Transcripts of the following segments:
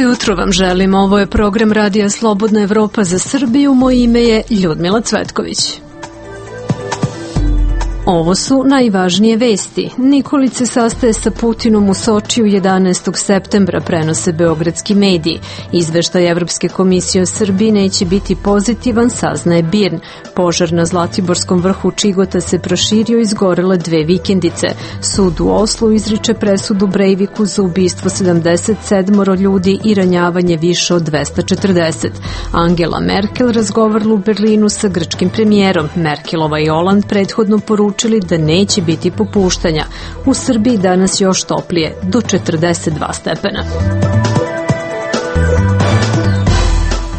Jutro vam želim, ovo je program Radija Slobodna Evropa za Srbiju, moje ime je Ljudmila Cvetković. Ovo su najvažnije vesti. Nikolić se sastaje sa Putinom u Sočiju 11. septembra, prenose beogradski mediji. Izveštaj Evropske komisije o Srbiji neće biti pozitivan, saznaje BIRN. Požar na Zlatiborskom vrhu Čigota se proširio i izgorele 2 vikendice. Sud u Oslu izriče presudu Breiviku za ubistvo 77 ljudi i ranjavanje više od 240. Angela Merkel razgovarala u Berlinu sa grčkim premijerom. Merkelova i Holand prethodno poručili da neće biti popuštanja. U Srbiji danas još toplije, do 42 stepena.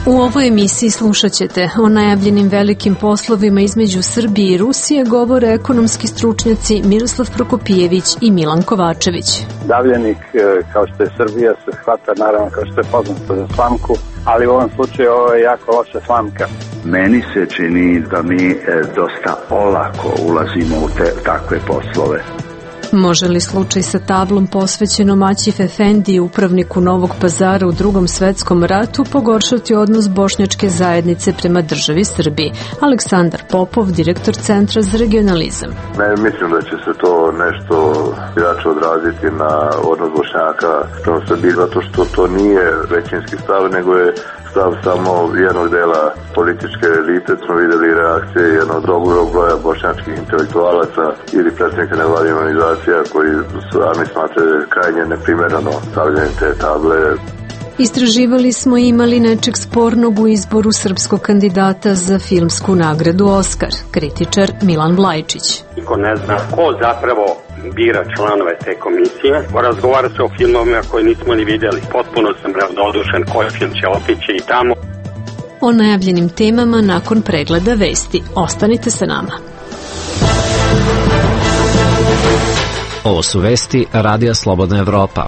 U ovoj emisiji slušat ćete o najavljenim velikim poslovima između Srbije i Rusije, govore ekonomski stručnjaci Miroslav Prokopijević i Milan Kovačević. Davljenik, kao što je Srbija, se hvata naravno kao što je poznato za slamku, ali u ovom slučaju ovo je jako loša slamka. Meni se čini da mi dosta olako ulazimo u takve poslove. Može li slučaj sa tablom posvećenom Aćif Efendiji, upravniku Novog Pazara u Drugom svetskom ratu, pogoršati odnos bošnjačke zajednice prema državi Srbiji? Aleksandar Popov, direktor Centra za regionalizam. Mislim da će se to nešto jače odraziti na odnos Bošnjaka prema Srbiji, zato što to nije većinski stav, nego je stav samo jednog dela političke elite. Smo videli reakcije jednog dobrog broja bošnjačkih intelektualaca ili predstavnika nevladine organizacija koji sami smatraju krajnje neprimereno stavljanje te table. Istraživali smo imali nečeg spornog u izboru srpskog kandidata za filmsku nagradu Oskar, kritičar Milan Vlajčić. Niko ne zna ko zapravo bira članove te komisije. Razgovara se o filmovima koje nismo ni vidjeli. Potpuno sam ravnodušen koji film će otići i tamo. O najavljenim temama nakon pregleda vesti. Ostanite sa nama. Ovo su vesti Radija Slobodna Evropa.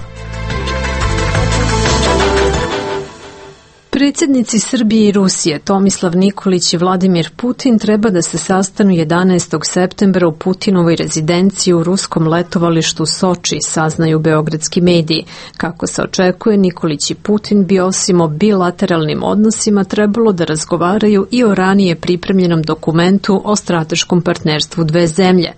Predsjednici Srbije i Rusije Tomislav Nikolić i Vladimir Putin treba da se sastanu 11. septembra u Putinovoj rezidenciji u ruskom letovalištu Soči, saznaju beogradski mediji. Kako se očekuje, Nikolić i Putin bi osim o bilateralnim odnosima trebalo da razgovaraju i o ranije pripremljenom dokumentu o strateškom partnerstvu dve zemlje.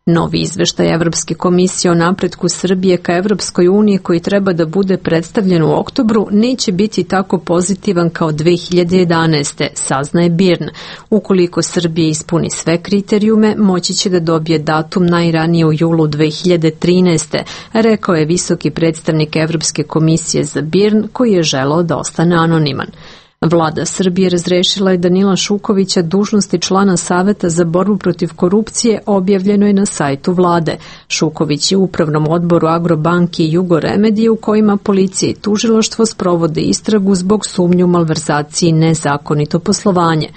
Novi izveštaj Evropske komisije o napretku Srbije ka Evropskoj uniji, koji treba da bude predstavljen u oktobru, neće biti tako pozitivan kao 2011. saznaje BIRN. Ukoliko Srbija ispuni sve kriterijume, moći će da dobije datum najranije u julu 2013. rekao je visoki predstavnik Evropske komisije za BIRN, koji je želeo da ostane anoniman. Vlada Srbije razrešila je Danila Šukovića dužnosti člana Saveta za borbu protiv korupcije, objavljeno je na sajtu vlade. Šuković je u upravnom odboru Agrobanke i Jugoremedije, u kojima policija i tužilaštvo sprovode istragu zbog sumnju malverzaciji i nezakonito poslovanje.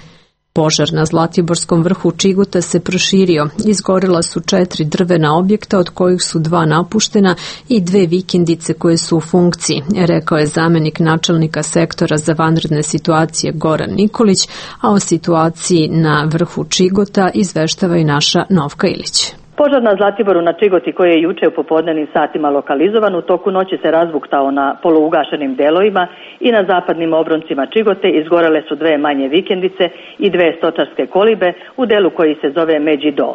Požar na Zlatiborskom vrhu Čigota se proširio. Izgorela su 4 drvena objekta, od kojih su 2 napuštena i 2 vikendice koje su u funkciji, rekao je zamenik načelnika sektora za vanredne situacije Goran Nikolić, a o situaciji na vrhu Čigota izveštava i naša Novka Ilić. Požar na Zlatiboru na Čigoti, koji je juče u popodnevnim satima lokalizovan, u toku noći se razbuktao na polougašenim delovima i na zapadnim obroncima Čigote izgorele su 2 manje vikendice i 2 stočarske kolibe u delu koji se zove Međido.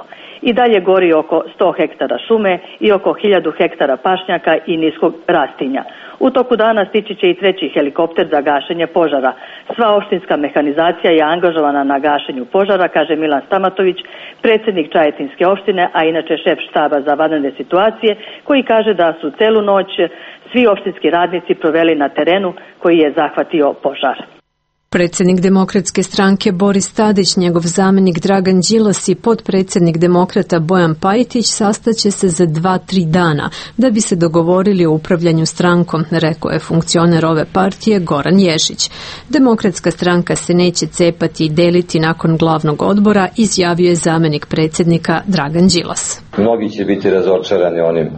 I dalje gori oko 100 hektara šume i oko 1000 hektara pašnjaka i niskog rastinja. U toku dana stići će i 3. helikopter za gašenje požara. Sva opštinska mehanizacija je angažovana na gašenju požara, kaže Milan Stamatović, predsjednik Čajetinske opštine, a inače šef štaba za vanredne situacije, koji kaže da su celu noć svi opštinski radnici proveli na terenu koji je zahvatio požar. Predsjednik Demokratske stranke Boris Tadić, njegov zamenik Dragan Đilas i potpredsjednik Demokrata Bojan Pajtić sastaće se za 2-3 dana da bi se dogovorili o upravljanju strankom, rekao je funkcioner ove partije Goran Ješić. Demokratska stranka se neće cepati i deliti nakon glavnog odbora, izjavio je zamenik predsjednika Dragan Đilas. Mnogi će biti razočarani onim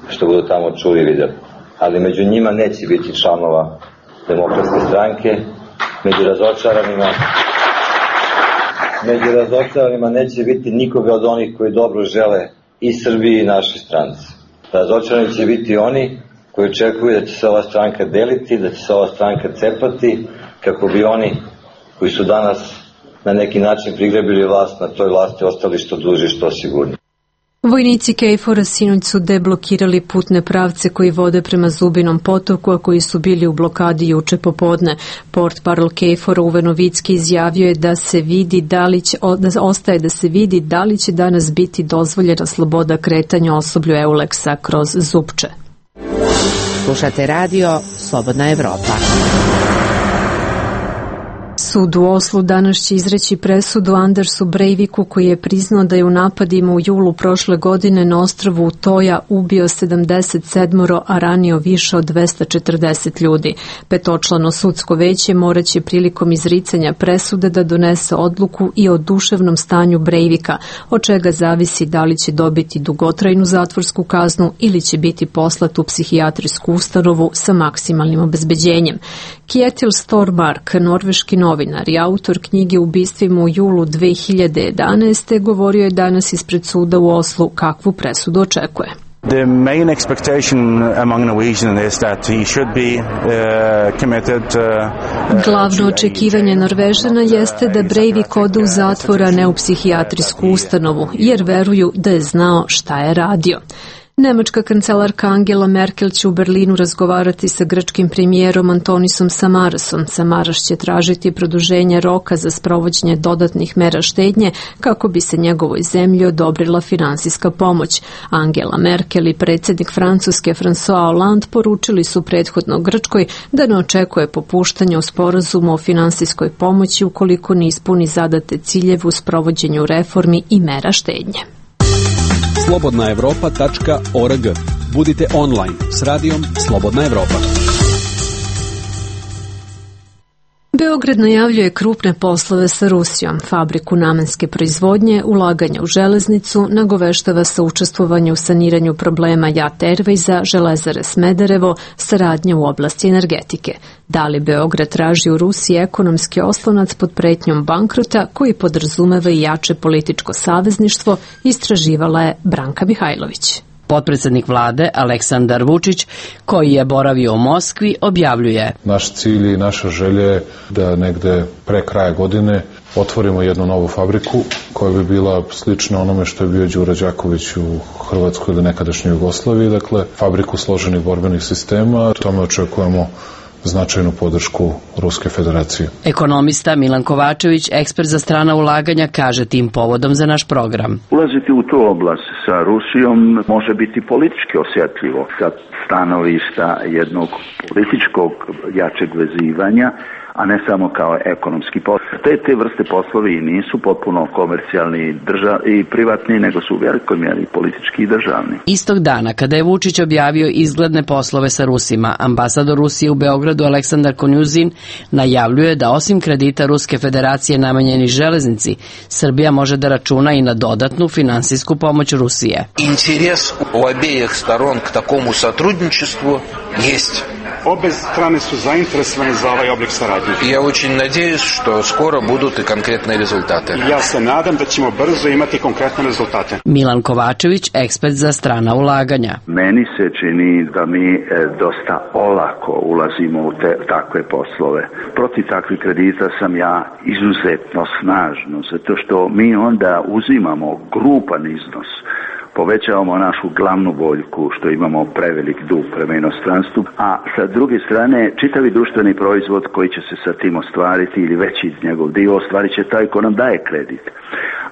što budu tamo čuli i vidjeli, ali među njima neće biti članova Demokratske stranke. Među razočaranima neće biti nikoga od onih koji dobro žele i Srbiji i našoj stranci. Razočarani će biti oni koji očekuju da će se ova stranka deliti, da će se ova stranka cepati, kako bi oni koji su danas na neki način prigrebili vlast na toj vlasti ostali što duže, što sigurnije. Vojnici KFOR-a sinoć su deblokirali putne pravce koji vode prema Zubinom potoku, a koji su bili u blokadi juče popodne. Portparol KFOR-a Uve Novicki izjavio je da se vidi da li će danas biti dozvoljena sloboda kretanja osoblju Euleksa kroz Zupče. Slušate radio Slobodna Evropa. Sud u Oslu danas će izreći presudu Andersu Breiviku, koji je priznao da je u napadima u julu prošle godine na ostrvu Utoja ubio 77, a ranio više od 240 ljudi. Petočlano sudsko veće moraće prilikom izricanja presude da donese odluku i o duševnom stanju Breivika, od čega zavisi da li će dobiti dugotrajnu zatvorsku kaznu ili će biti poslat u psihijatrijsku ustanovu sa maksimalnim obezbeđenjem. Kjetil Stormark, norveški novinar i autor knjige Ubistvima u julu 2011. govorio je danas ispred suda u Oslu kakvu presudu očekuje. The main expectation among Norwegians is that he should be committed. Glavno očekivanje Norvežana jeste da Breivik ode u zatvor, a ne u psihijatrijsku ustanovu, jer veruju da je znao šta je radio. Nemačka kancelarka Angela Merkel će u Berlinu razgovarati sa grčkim premijerom Antonisom Samarasom. Samaras će tražiti produženje roka za sprovođenje dodatnih mera štednje kako bi se njegovoj zemlji odobrila finansijska pomoć. Angela Merkel i predsjednik Francuske François Hollande poručili su prethodno Grčkoj da ne očekuje popuštanje u sporazumu o finansijskoj pomoći ukoliko ne ispuni zadate ciljeve u sprovođenju reformi i mera štednje. slobodnaevropa.org. Budite online s radijom Slobodna Evropa. Beograd najavljuje krupne poslove sa Rusijom, fabriku namenske proizvodnje, ulaganja u železnicu, nagoveštava sa učestvovanje u saniranju problema JAT Airwaysa, Železare Smederevo, saradnja u oblasti energetike. Da li Beograd traži u Rusiji ekonomski oslonac pod pretnjom bankrota koji podrazumeva i jače političko savezništvo, istraživala je Branka Mihajlović. Potpredsjednik vlade Aleksandar Vučić, koji je boravio u Moskvi, objavljuje: Naš cilj i naša želja je da negde pre kraja godine otvorimo jednu novu fabriku koja bi bila slična onome što je bio Đuro Đaković u Hrvatskoj ili nekadašnjoj Jugoslaviji, dakle fabriku složenih borbenih sistema. Tome očekujemo značajnu podršku Ruske federacije. Ekonomista Milan Kovačević, ekspert za strana ulaganja, kaže tim povodom za naš program: Ulaziti u tu oblast sa Rusijom može biti politički osjetljivo sa stanovišta jednog političkog jačeg vezivanja, a ne samo kao ekonomski posao. Te vrste poslovi nisu potpuno komercijalni i privatni, nego su u velikoj mjeri politički i državni. Istog dana, kada je Vučić objavio izgledne poslove sa Rusima, ambasador Rusije u Beogradu Aleksandar Konjuzin najavljuje da osim kredita Ruske federacije namenjeni železnici, Srbija može da računa i na dodatnu finansijsku pomoć Rusije. Interes u obeh storon k takomu satrudničestvu jest. Obe strane su zainteresovane za ovaj oblik saradnje. Ja очень надеюсь, что скоро будут и конкретные результаты. Ja se nadam da ćemo brzo imati konkretne rezultate. Milan Kovačević, ekspert za strana ulaganja. Meni se čini da mi dosta olako ulazimo u takve poslove. Protiv takvih kredita sam ja izuzetno snažno, zato što mi onda uzimamo grupan iznos, povećavamo našu glavnu boljku što imamo prevelik dug prema inostranstvu, a sa druge strane čitavi društveni proizvod koji će se sa tim ostvariti ili veći njegov dio ostvarit će taj ko nam daje kredit.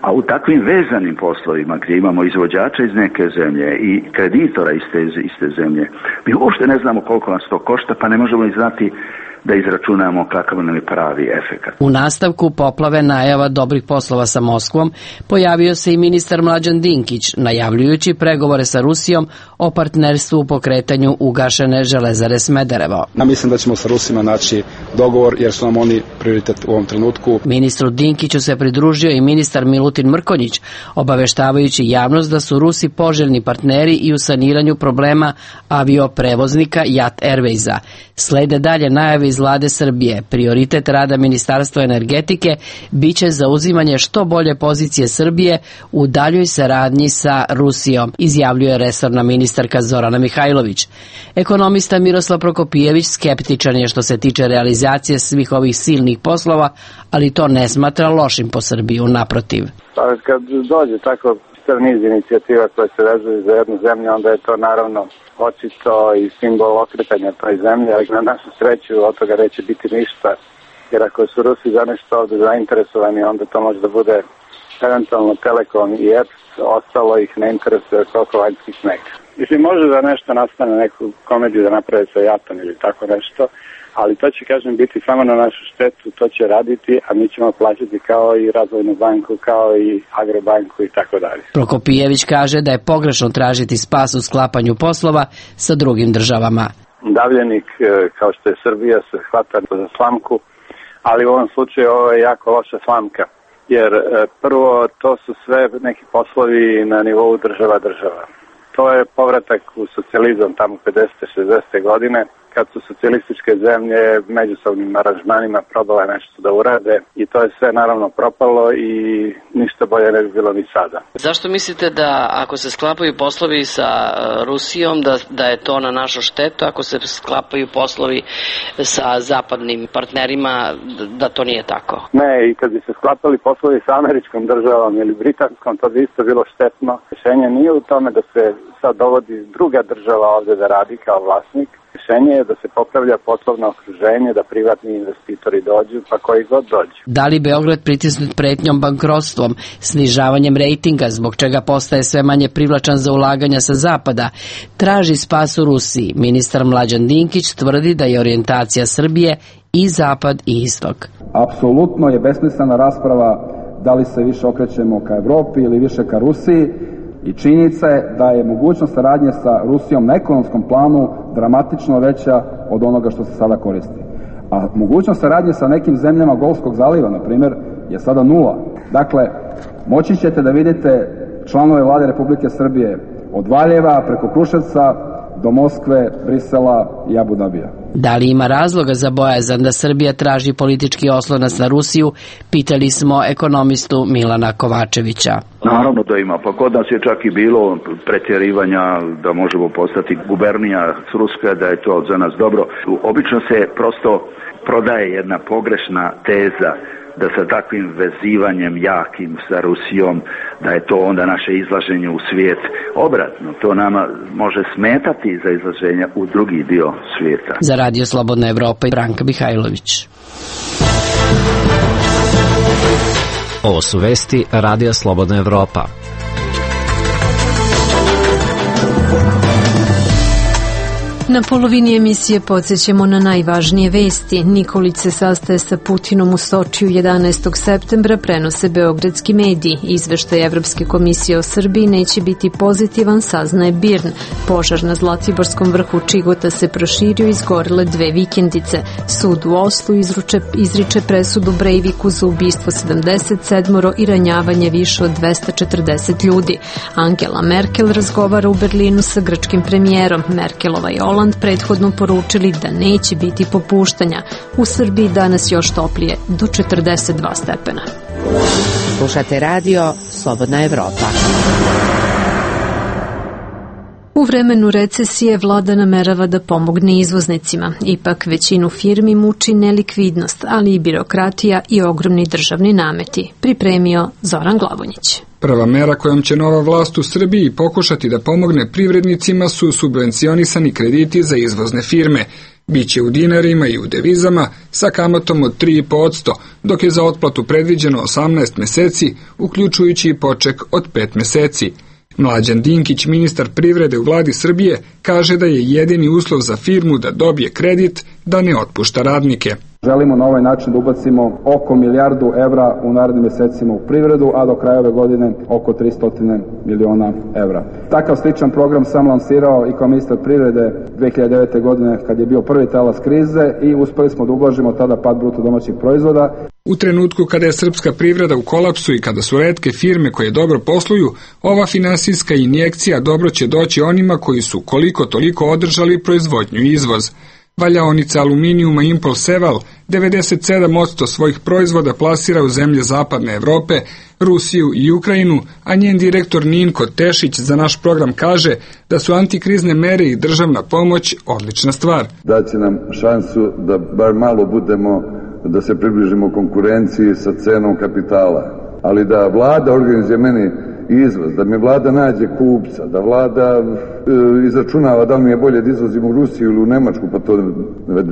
A u takvim vezanim poslovima gdje imamo izvođača iz neke zemlje i kreditora iz te zemlje, mi uopšte ne znamo koliko nas to košta, pa ne možemo i znati da izračunamo kakav nam je pravi efekat. U nastavku poplave najava dobrih poslova sa Moskvom pojavio se i ministar Mlađan Dinkić, najavljujući pregovore sa Rusijom o partnerstvu u pokretanju ugašene železare Smederevo. Ja mislim da ćemo sa Rusima naći dogovor jer su nam oni prioritet u ovom trenutku. Ministru Dinkiću se pridružio i ministar Milutin Mrkonjić, obaveštavajući javnost da su Rusi poželjni partneri i u saniranju problema avioprevoznika Jat Airwaysa. Slede dalje najave iz vlade Srbije. Prioritet rada Ministarstva energetike biće zauzimanje što bolje pozicije Srbije u daljoj saradnji sa Rusijom, izjavljuje resorna ministarka Zorana Mihajlović. Ekonomista Miroslav Prokopijević skeptičan je što se tiče realizacije svih ovih silnih poslova, ali to ne smatra lošim po Srbiju, naprotiv. Pa kad dođe tako niz inicijativa koje se vezuju za jednu zemlju, onda je to naravno očito i simbol okretanja toj zemlji, ali na našu sreću od toga neće biti ništa, jer ako su Rusi za nešto ovde zainteresovani, onda to može da bude eventualno Telekom i EPS, ostalo ih ne interesuje koliko vanjski sneg. Mislim, može da nešto nastane, neku komediju da naprave sa Jatom ili tako nešto, ali to će, kažem, biti samo na našu štetu, to će raditi, a mi ćemo plaćati kao i Razvojnu banku, kao i Agrobanku i tako dalje. Prokopijević kaže da je pogrešno tražiti spas u sklapanju poslova sa drugim državama. Davljenik, kao što je Srbija, se hvata za slamku, ali u ovom slučaju ovo je jako loša slamka, jer prvo to su sve neki poslovi na nivou država. To je povratak u socijalizam tamo 50. 60. godine, kad su socijalističke zemlje međusobnim aranžmanima probale nešto da urade i to je sve naravno propalo i ništa bolje ne bi bilo ni sada. Zašto mislite da ako se sklapaju poslovi sa Rusijom da je to na našu štetu, ako se sklapaju poslovi sa zapadnim partnerima da to nije tako? Ne, i kad bi se sklapali poslovi sa američkom državom ili britanskom, to bi isto bilo štetno. Rešenje nije u tome da se sad dovodi druga država ovde da radi kao vlasnik. Rešenje je da se popravlja poslovno okruženje, da privatni investitori dođu, pa koji god dođu. Da li Beograd pritisnut pretnjom bankrotstvom, snižavanjem rejtinga, zbog čega postaje sve manje privlačan za ulaganja sa zapada, traži spas u Rusiji? Ministar Mlađan Dinkić tvrdi da je orijentacija Srbije i zapad i istok. Apsolutno je besmislena rasprava da li se više okrećemo ka Evropi ili više ka Rusiji. I činjenica je da je mogućnost saradnje sa Rusijom na ekonomskom planu dramatično veća od onoga što se sada koristi. A mogućnost saradnje sa nekim zemljama Golfskog zaliva, na primjer, je sada nula. Dakle, moći ćete da vidite članove vlade Republike Srbije od Valjeva preko Kruševca do Moskve, Brisela i Abu Dabija. Da li ima razloga za bojazan da Srbija traži politički oslonac na Rusiju, pitali smo ekonomistu Milana Kovačevića. Naravno da ima, pa kod nas je čak i bilo pretjerivanja da možemo postati gubernija Ruska, da je to za nas dobro. Obično se prosto prodaje jedna pogrešna teza da sa takvim vezivanjem jakim sa Rusijom, da je to onda naše izlaženje u svijet. Obratno, to nama može smetati za izlaženje u drugi dio svijeta. Za Radio Slobodna Evropa, Branka Mihajlović. Ovo su vesti Radija Slobodna Evropa. Na polovini emisije podsjećamo na najvažnije vesti. Nikolić se sastaje sa Putinom u Sočiju 11. septembra, prenose beogradski mediji. Izveštaj Evropske komisije o Srbiji neće biti pozitivan, saznaje BIRN. Požar na Zlatiborskom vrhu Čigota se proširio i izgorele 2 vikendice. Sud u Oslu izriče presudu Breiviku za ubistvo 77 i ranjavanje više od 240 ljudi. Angela Merkel razgovara u Berlinu sa grčkim premijerom. Merkelova i Holand prethodno poručili da neće biti popuštanja. U Srbiji danas još toplije, do 42 stepena. Slušate radio Slobodna Evropa. U vremenu recesije vlada namerava da pomogne izvoznicima. Ipak većinu firmi muči nelikvidnost, ali i birokratija i ogromni državni nameti. Pripremio Zoran Glavonjić. Prva mera kojom će nova vlast u Srbiji pokušati da pomogne privrednicima su subvencionisani krediti za izvozne firme. Biće u dinarima i u devizama sa kamatom od 3,5%, dok je za otplatu predviđeno 18 meseci, uključujući i poček od 5 meseci. Mlađan Dinkić, ministar privrede u vladi Srbije, kaže da je jedini uslov za firmu da dobije kredit da ne otpušta radnike. Želimo na ovaj način da ubacimo oko milijardu evra u narednim mesecima u privredu, a do kraja ove godine oko 300 miliona evra. Takav sličan program sam lansirao i kao ministar privrede 2009. godine kad je bio prvi talas krize i uspeli smo da ublažimo tada pad bruto domaćeg proizvoda. U trenutku kada je srpska privreda u kolapsu i kada su retke firme koje dobro posluju, ova finansijska injekcija dobro će doći onima koji su koliko toliko održali proizvodnju i izvoz. Valjaonica aluminijuma Impol Seval 97% svojih proizvoda plasira u zemlje zapadne Evrope, Rusiju i Ukrajinu, a njen direktor Ninko Tešić za naš program kaže da su antikrizne mere i državna pomoć odlična stvar. Daće nam šansu da bar malo budemo, da se približimo konkurenciji sa cenom kapitala, ali da vlada organizuje meni izvoz, da mi vlada nađe kupca, da vlada izračunava da li mi je bolje da izvozim u Rusiju ili u Nemačku, pa to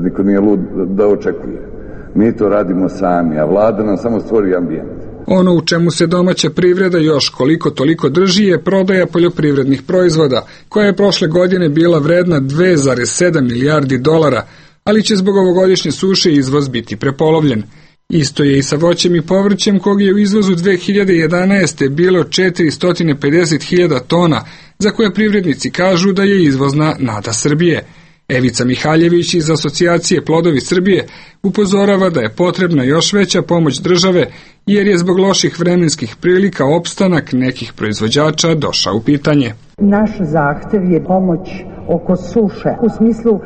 niko nije lud da očekuje. Mi to radimo sami, a vlada nam samo stvori ambijent. Ono u čemu se domaća privreda još koliko toliko drži je prodaja poljoprivrednih proizvoda, koja je prošle godine bila vredna 2,7 milijardi dolara, ali će zbog ovogodišnje suše izvoz biti prepolovljen. Isto je i sa voćem i povrćem, kog je u izvozu 2011. bilo 450.000 tona, za koje privrednici kažu da je izvozna nada Srbije. Evica Mihaljević iz Asocijacije Plodovi Srbije upozorava da je potrebna još veća pomoć države, jer je zbog loših vremenskih prilika opstanak nekih proizvođača došao u pitanje. Naš zahtev je pomoć oko suše, u smislu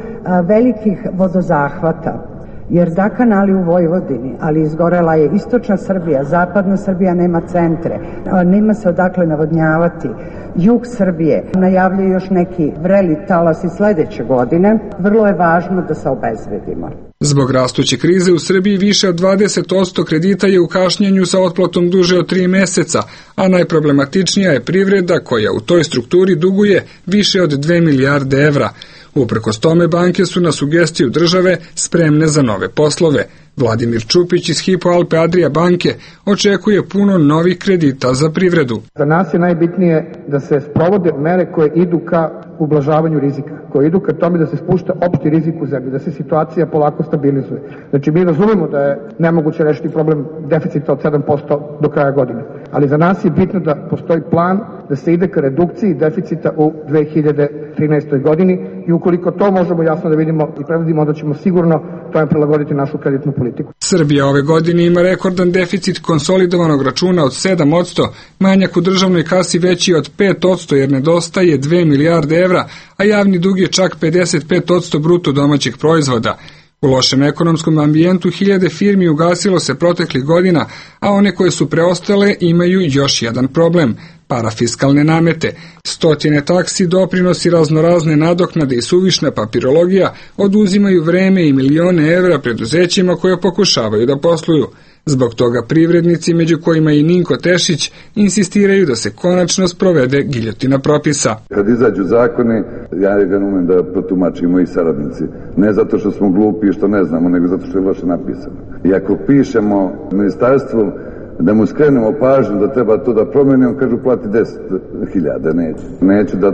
velikih vodozahvata. Jer da kanali u Vojvodini, ali izgorela je istočna Srbija, zapadna Srbija nema centre, nema se odakle navodnjavati. Jug Srbije najavljaju još neki vreli talasi sledeće godine, vrlo je važno da se obezbedimo. Zbog rastuće krize u Srbiji više od 20% kredita je u kašnjenju sa otplatom duže od 3 meseca, a najproblematičnija je privreda koja u toj strukturi duguje više od 2 milijarde evra. Uprkos tome banke su na sugestiju države spremne za nove poslove. Vladimir Čupić iz Hypo Alpe Adria banke očekuje puno novih kredita za privredu. Za nas je najbitnije da se sprovode mere koje idu ka ublažavanju rizika, koje idu ka tome da se spušta opšti rizik u zemlji, da se situacija polako stabilizuje. Znači mi razumemo da je nemoguće rešiti problem deficita od 7% do kraja godine, ali za nas je bitno da postoji plan da se ide ka redukciji deficita u 2013. godini i ukoliko to možemo jasno da vidimo i prevodimo, onda ćemo sigurno tome prilagoditi našu kreditnu politiku. Srbija ove godine ima rekordan deficit konsolidovanog računa od 7%, manjak u državnoj kasi veći od 5% jer nedostaje 2 milijarde evra, a javni dug je čak 55% bruto domaćeg proizvoda. U lošem ekonomskom ambijentu hiljade firmi ugasilo se proteklih godina, a one koje su preostale imaju još jedan problem – parafiskalne namete. Stotine taksi, doprinosi, raznorazne nadoknade i suvišna papirologija oduzimaju vreme i milione evra preduzećima koje pokušavaju da posluju. Zbog toga privrednici, među kojima i Ninko Tešić, insistiraju da se konačno sprovede giljotina propisa. Kad izađu zakoni, ja ga umem da protumačim moji saradnici. Ne zato što smo glupi i što ne znamo, nego zato što je loše napisano. I ako pišemo ministarstvu da mu skrenemo pažnju da treba to da promeni, on kažu plati 10.000, neću da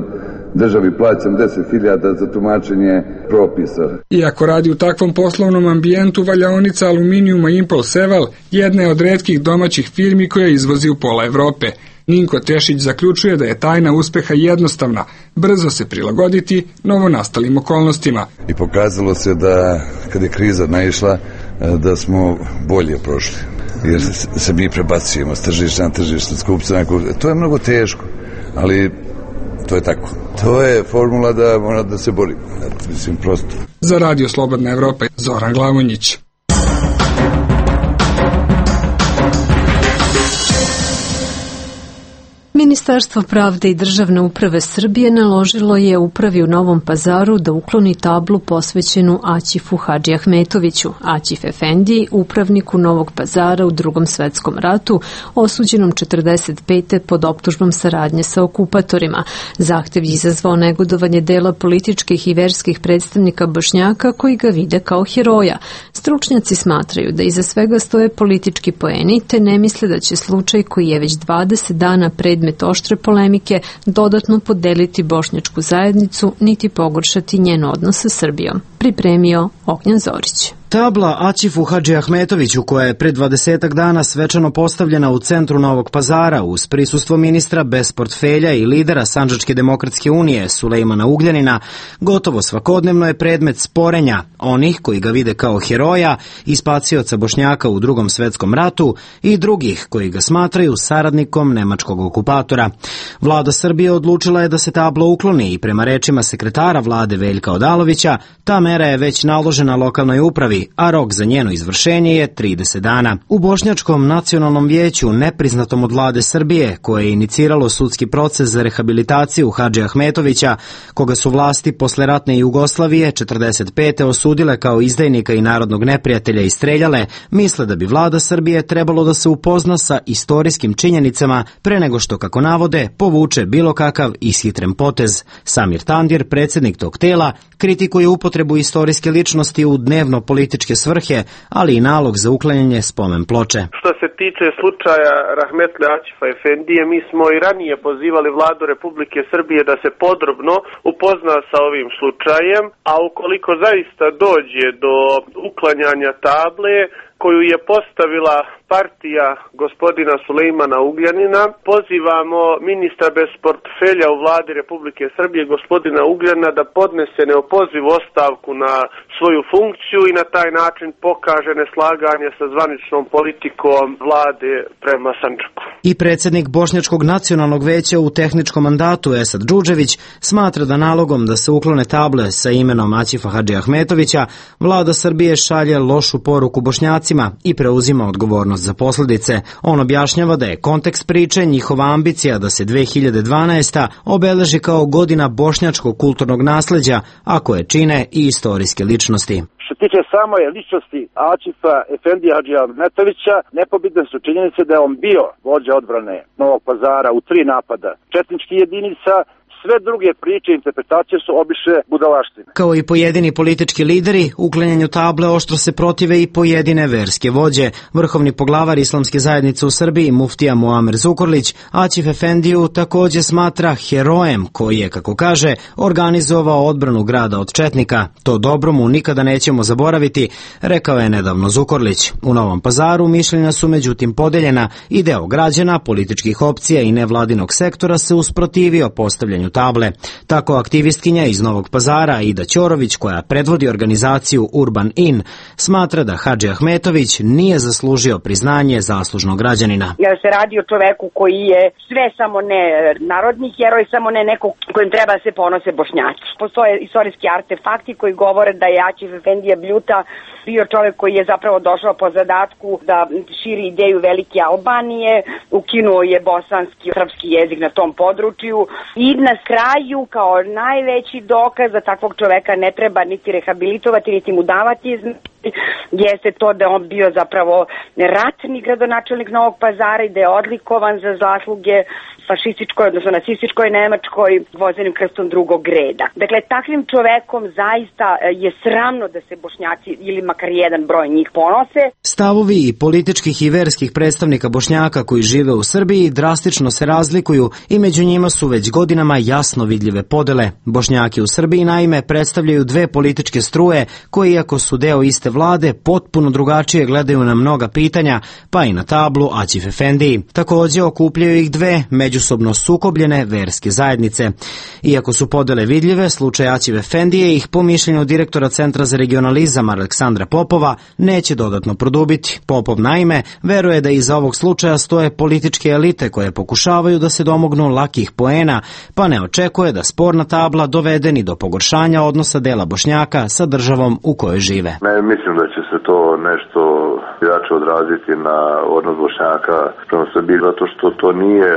državi plaćam 10.000 za tumačenje propisa. Iako radi u takvom poslovnom ambijentu, valjaonica aluminijuma Impol Seval jedna je od retkih domaćih firmi koja izvozi u pola Evrope. Ninko Tešić zaključuje da je tajna uspeha jednostavna, brzo se prilagoditi novonastalim okolnostima. I pokazalo se da kad je kriza naišla, da smo bolje prošli. Jer se mi prebacujemo s tržišta na tržište, s kupca na kupca. To je mnogo teško, ali to je tako. To je formula da mora da se bori. Mislim, prosto. Za Radio Slobodna Evropa, Zoran Glavonjić. Ministarstvo pravde i državne uprave Srbije naložilo je upravi u Novom Pazaru da ukloni tablu posvećenu Aćifu Hadži Ahmetoviću. Aćif Efendi, upravniku Novog Pazara u Drugom svetskom ratu, osuđenom 45. pod optužbom saradnje sa okupatorima. Zahtev je izazvao negodovanje dela političkih i verskih predstavnika Bošnjaka koji ga vide kao heroja. Stručnjaci smatraju da iza svega stoje politički poeni, te ne misle da će slučaj koji je već 20 dana predmet predmet oštre polemike, dodatno podeliti bošnjačku zajednicu, niti pogoršati njen odnos sa Srbijom, pripremio Ognjen Zorić. Tabla Aćifu Hadžiahmetoviću, koja je pred 20 dana svečano postavljena u centru Novog Pazara uz prisustvo ministra bez portfelja i lidera Sandžačke demokratske unije Sulejmana Ugljanina, gotovo svakodnevno je predmet sporenja onih koji ga vide kao heroja i spacioca Bošnjaka u Drugom svetskom ratu i drugih koji ga smatraju saradnikom nemačkog okupatora. Vlada Srbije odlučila je da se tabla ukloni i prema rečima sekretara vlade Veljka Odalovića, ta mera je već naložena lokalnoj upravi, a rok za njeno izvršenje je 30 dana. U Bošnjačkom nacionalnom vijeću, nepriznatom od vlade Srbije, koje je iniciralo sudski proces za rehabilitaciju Hadžiahmetovića, koga su vlasti posle ratne Jugoslavije 45. osudile kao izdajnika i narodnog neprijatelja i streljale, misle da bi vlada Srbije trebalo da se upozna sa istorijskim činjenicama pre nego što, kako navode, povuče bilo kakav ishitren potez. Samir Tandir, predsjednik tog tela, kritikuje upotrebu istorijske ličnosti u dnevno političke svrhe, ali i nalog za uklanjanje spomen ploče. Što se tiče slučaja Rahmetli Aćifa Efendije, mi smo i ranije pozivali vladu Republike Srbije da se podrobno upozna sa ovim slučajem, a ukoliko zaista dođe do uklanjanja table koju je postavila partija gospodina Sulejmana Ugljanina, pozivamo ministra bez portfelja u vladi Republike Srbije, gospodina Ugljana, da podnese neopozivu ostavku na svoju funkciju i na taj način pokaže neslaganje sa zvaničnom politikom vlade prema Sandžaku. I predsjednik Bošnjačkog nacionalnog veća u tehničkom mandatu Esad Džudžević smatra da nalogom da se uklone table sa imenom Aćifa Hadžiahmetovića vlada Srbije šalje lošu poruku Bošnjacima i preuzima odgovornost za posljedice. On objašnjava da je kontekst priče njihova ambicija da se 2012. obeleži kao godina bošnjačkog kulturnog nasleđa, a koje čine i istorijske ličnosti. Što tiče samo ličnosti Aćifa Efendija Hadžiahmetovića, nepobitne su činjenice da je on bio vođa odbrane Novog Pazara u 3 napada četničkih jedinica. Sve druge priče i interpretacije su obične budalaštine. Kao i pojedini politički lideri, uklanjanju table oštro se protive i pojedine verske vođe. Vrhovni poglavar Islamske zajednice u Srbiji, muftija Muamer Zukorlić, Aćif Efendiju također smatra herojem koji je, kako kaže, organizovao odbranu grada od četnika. To dobro mu nikada nećemo zaboraviti, rekao je nedavno Zukorlić. U Novom Pazaru mišljenja su međutim podeljena i deo građana, političkih opcija i nevladinog sektora se usprotivio postavljanju table. Tako aktivistkinja iz Novog Pazara Ida Ćorović, koja predvodi organizaciju Urban In, smatra da Hadžiahmetović nije zaslužio priznanje zaslužnog građanina. Jer se radi o čoveku koji je sve samo ne narodni heroj, samo ne neko kojim treba se ponose Bošnjaci. Postoje istorijski artefakti koji govore da je Aćif Efendija Bljuta bio čovek koji je zapravo došao po zadatku da širi ideju velike Albanije, ukinuo je bosanski srpski jezik na tom području i na kraju kao najveći dokaz da takvog čoveka ne treba niti rehabilitovati, niti mu davati jeste to da on bio zapravo ratni gradonačelnik Novog Pazara i da je odlikovan za zasluge fašističkoj, odnosno nacističkoj Nemačkoj vozenim krstom drugog reda. Dakle, takvim čovekom zaista je sramno da se Bošnjaci ili makar jedan broj njih ponose. Stavovi i političkih i verskih predstavnika Bošnjaka koji žive u Srbiji drastično se razlikuju i među njima su već godinama jasno vidljive podele. Bošnjaki u Srbiji naime predstavljaju dve političke struje koje, iako su deo iste vlade, potpuno drugačije gledaju na mnoga pitanja, pa i na tablu Aćif Efendiji. Također okupljaju ih dve međusobno sukobljene verske zajednice. Iako su podele vidljive, slučaj Aćif Efendije ih po mišljenju direktora Centra za regionalizam Aleksandra Popova neće dodatno produbiti. Popov naime veruje da iza ovog slučaja stoje političke elite koje pokušavaju da se domognu lakih poena, pa ne očekuje da sporna tabla dovede ni do pogoršanja odnosa dela Bošnjaka sa državom u kojoj žive. Mislim da će se to nešto jače odraziti na odnos Bošnjaka prema Srbiji, zato što to nije,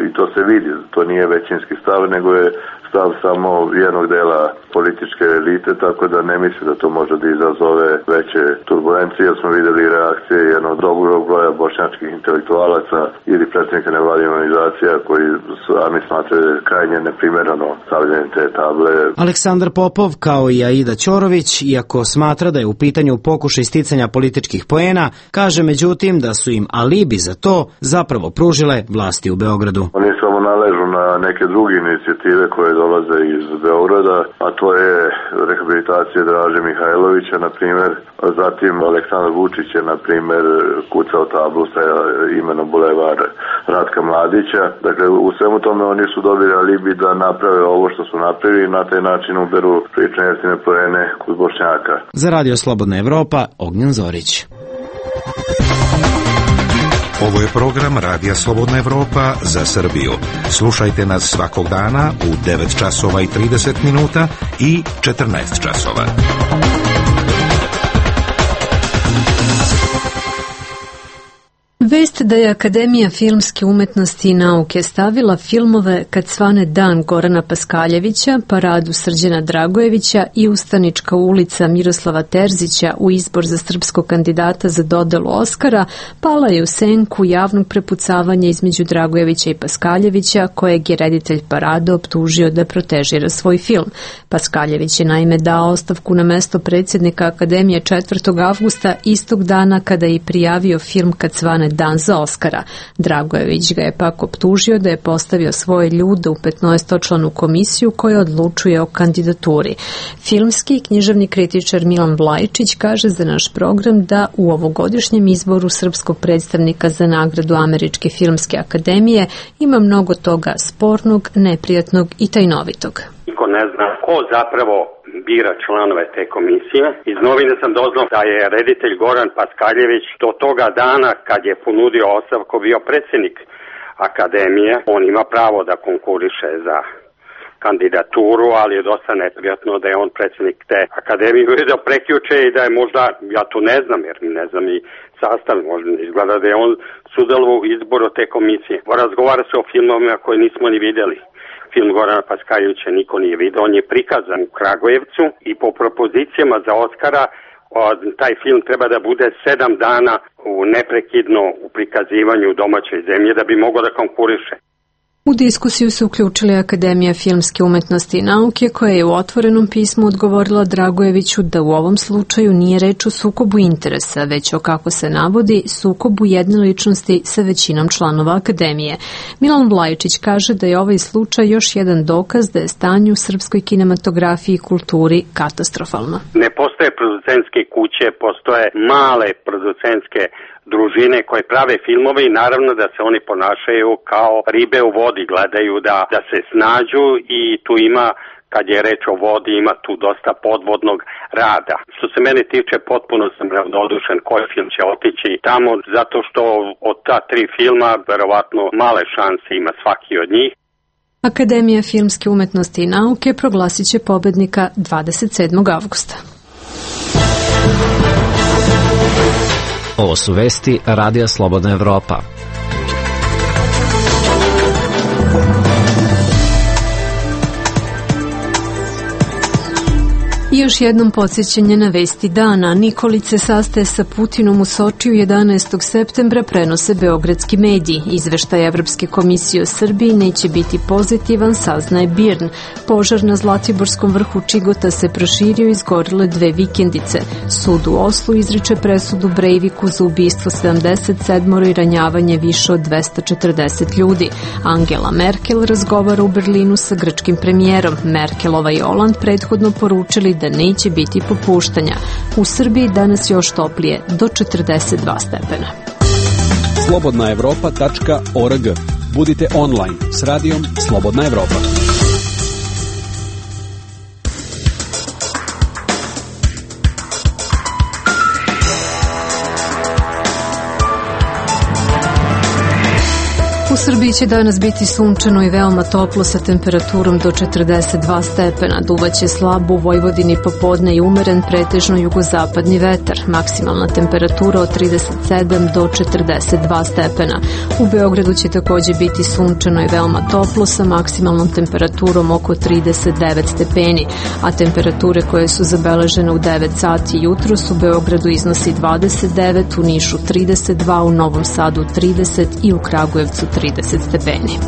i to se vidi, to nije većinski stav, nego je stav samo jednog dela političke elite, tako da ne mislim da to može da izazove veće turbulencije. Smo videli reakcije jednog dobrog broja bošnjačkih intelektualaca ili predstavnika nevladinih organizacija koji sami smatraju krajnje neprimereno stavljanje te table. Aleksandar Popov, kao i Aida Ćorović, iako smatra da je u pitanju pokušaj sticanja političkih poena, kaže međutim da su im alibi za to zapravo pružile vlasti u Beogradu. Nije samo naležu na neke druge inicijative koje dolaze iz Beograda, a to je rehabilitacija Draže Mihajlovića, na primjer, a zatim Aleksandar Vučić je, na primjer, kucao tablu sa imenom Bulevar Ratka Mladića. Dakle, u svemu tome oni su dobili alibi da naprave ovo što su napravili i na taj način uberu prične jeftine poene kod Bošnjaka. Za Radio Slobodna Evropa, Ognjen Zorić. Ovo je program Radija Slobodna Evropa za Srbiju. Slušajte nas svakog dana u 9 časova i 30 minuta i 14 časova. Vest da je Akademija filmske umetnosti i nauke stavila filmove Kad svane dan Gorana Paskaljevića, Paradu Srđana Dragojevića i Ustanička ulica Miroslava Terzića u izbor za srpskog kandidata za dodelu Oskara, pala je u senku javnog prepucavanja između Dragojevića i Paskaljevića, kojeg je reditelj Parade optužio da protežira svoj film. Paskaljević je naime dao ostavku na mesto predsjednika Akademije 4. avgusta, istog dana kada je prijavio film Kad svane dan za Oskara. Dragojević ga je pak optužio da je postavio svoje ljude u 15-članu komisiju koja odlučuje o kandidaturi. Filmski i književni kritičar Milan Vlajčić kaže za naš program da u ovogodišnjem izboru srpskog predstavnika za nagradu Američke filmske akademije ima mnogo toga spornog, neprijatnog i tajnovitog. Niko ne zna ko zapravo bira članove te komisije. Iz novine sam doznao da je reditelj Goran Paskaljević do toga dana kad je ponudio ostavku bio predsjednik akademije. On ima pravo da konkuriše za kandidaturu, ali je dosta neprijatno da je on predsjednik te akademije da prekjuče i da je možda, ja to ne znam jer ne znam i sastav, možda izgleda da je on sudjelovao u izboru te komisije. Razgovara se o filmovima koje nismo ni vidjeli. Film Gorana Paskaljevića niko nije vidio, on je prikazan u Kragujevcu i po propozicijama za Oskara taj film treba da bude 7 dana neprekidno u prikazivanju u domaćoj zemlji da bi mogao da konkuriše. U diskusiju su uključili Akademija filmske umetnosti i nauke, koja je u otvorenom pismu odgovorila Dragojeviću da u ovom slučaju nije reč o sukobu interesa, već o, kako se navodi, sukobu jedne ličnosti sa većinom članova Akademije. Milan Vlajčić kaže da je ovaj slučaj još jedan dokaz da je stanje u srpskoj kinematografiji i kulturi katastrofalno. Ne postoje producentske kuće, postoje male producentske družine koje prave filmove i naravno da se oni ponašaju kao ribe u vodi, gledaju da se snađu i tu ima, kad je reč o vodi, ima tu dosta podvodnog rada. Što se mene tiče, potpuno sam ravnodušen koji film će otići tamo, zato što od ta 3 filma verovatno male šanse ima svaki od njih. Akademija filmske umetnosti i nauke proglasit će pobednika 27. avgusta. Ovo su vesti Radija Slobodna Evropa. I još jednom podsjećanje na vesti dana. Nikolić se sastaje sa Putinom u Sočiju 11. septembra, prenose beogradski mediji. Izveštaj Evropske komisije o Srbiji neće biti pozitivan, saznaje BIRN. Požar na Zlatiborskom vrhu Čigota se proširio i izgorile 2 vikendice. Sud u Oslu izriče presudu Breiviku za ubistvo 77 i ranjavanje više od 240 ljudi. Angela Merkel razgovara u Berlinu sa grčkim premijerom. Merkelova i Holand prethodno poručili da neće biti popuštanja. U Srbiji danas još toplije, do 42 stepena. slobodnaevropa.org. Budite online s radijom Slobodna Evropa. U Srbiji će danas biti sunčano i veoma toplo sa temperaturom do 42 stepena. Duvaće slabo u Vojvodini popodne i umeren pretežno jugozapadni vetar. Maksimalna temperatura od 37 do 42 stepena. U Beogradu će također biti sunčano i veoma toplo sa maksimalnom temperaturom oko 39 stepeni, a temperature koje su zabeležene u 9 sati jutros u Beogradu iznosi 29, u Nišu 32, u Novom Sadu 30 i u Kragujevcu 30 stepeni.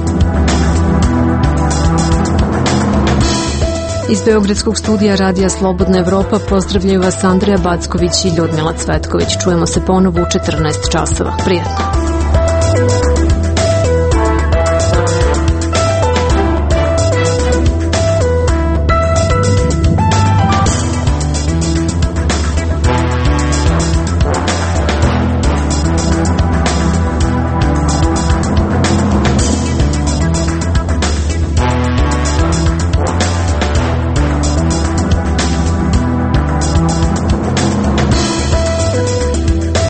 Iz beogradskog studija Radija Slobodna Evropa pozdravljaju vas Andreja Backović i Ljudmila Cvetković. Čujemo se ponovo u 14 časova. Prijatno.